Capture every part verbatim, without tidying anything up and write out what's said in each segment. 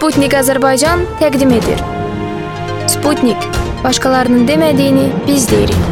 Sputnik Azərbaycan təqdim edir. Sputnik, başqalarının demədiyini biz deyirik.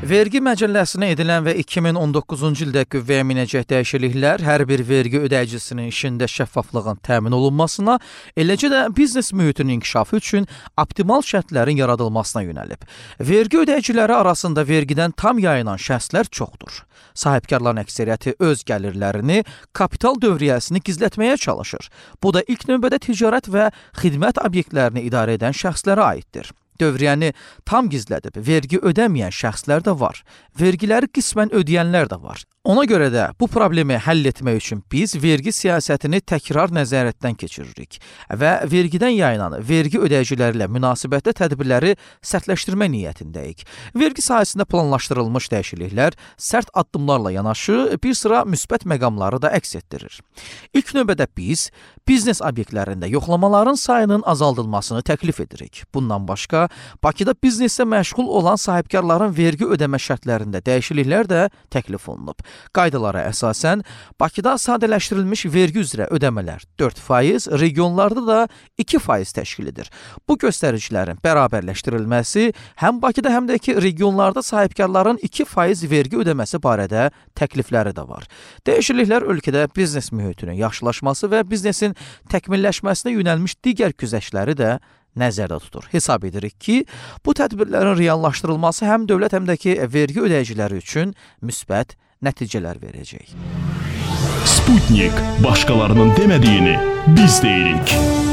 Vergi məcəlləsinə edilən və iki min on doqquzuncu ildə qüvvəyə minəcək dəyişikliklər hər bir vergi ödəyicisinin işində şəffaflığın təmin olunmasına, eləcə də biznes mühitinin inkişafı üçün optimal şərtlərin yaradılmasına yönəlib. Vergi ödəyiciləri arasında vergidən tam yayınan şəxslər çoxdur. Sahibkarların əksəriyyəti öz gəlirlərini, kapital dövriyyəsini gizlətməyə çalışır. Bu da ilk növbədə ticarət və xidmət obyektlərini idarə edən şəxslərə aiddir. Dövriyyəni tam gizlədib vergi ödəməyən şəxslər də var. Vergiləri qismən ödəyənlər də var. Ona görə də bu problemi həll etmək üçün biz vergi siyasətini təkrar nəzarətdən keçiririk və vergidən yayınan vergi ödəyiciləri ilə münasibətdə tədbirləri sərtləşdirmə niyyətindəyik. Vergi sahəsində planlaşdırılmış dəyişikliklər sərt addımlarla yanaşı bir sıra müsbət məqamları da əks etdirir. İlk növbədə biz biznes obyektlərində yoxlamaların sayının azaldılmasını təklif edirik. Bundan başqa, Bakıda bizneslə məşğul olan sahibkarların vergi ödəmə şərtlərində dəyişikliklər də təklif olunub. Qaydalara əsasən, Bakıda sadələşdirilmiş vergi üzrə ödəmələr dörd faiz, regionlarda da iki faiz təşkil edir. Bu göstəricilərin bərabərləşdirilməsi həm Bakıda, həm də ki, regionlarda sahibkarların iki faiz vergi ödəməsi barədə təklifləri də var. Dəyişikliklər ölkədə biznes mühitinin yaxşılaşması və biznesin təkmilləşməsinə yönəlmiş digər güzəştləri də nəzərdə tutur. Hesab edirik ki, bu tədbirlərin reallaşdırılması həm dövlət, həm də ki, vergi ödəyiciləri üçün müsbət nəticələr verəcək. Sputnik, başqalarının demədiyini biz deyirik.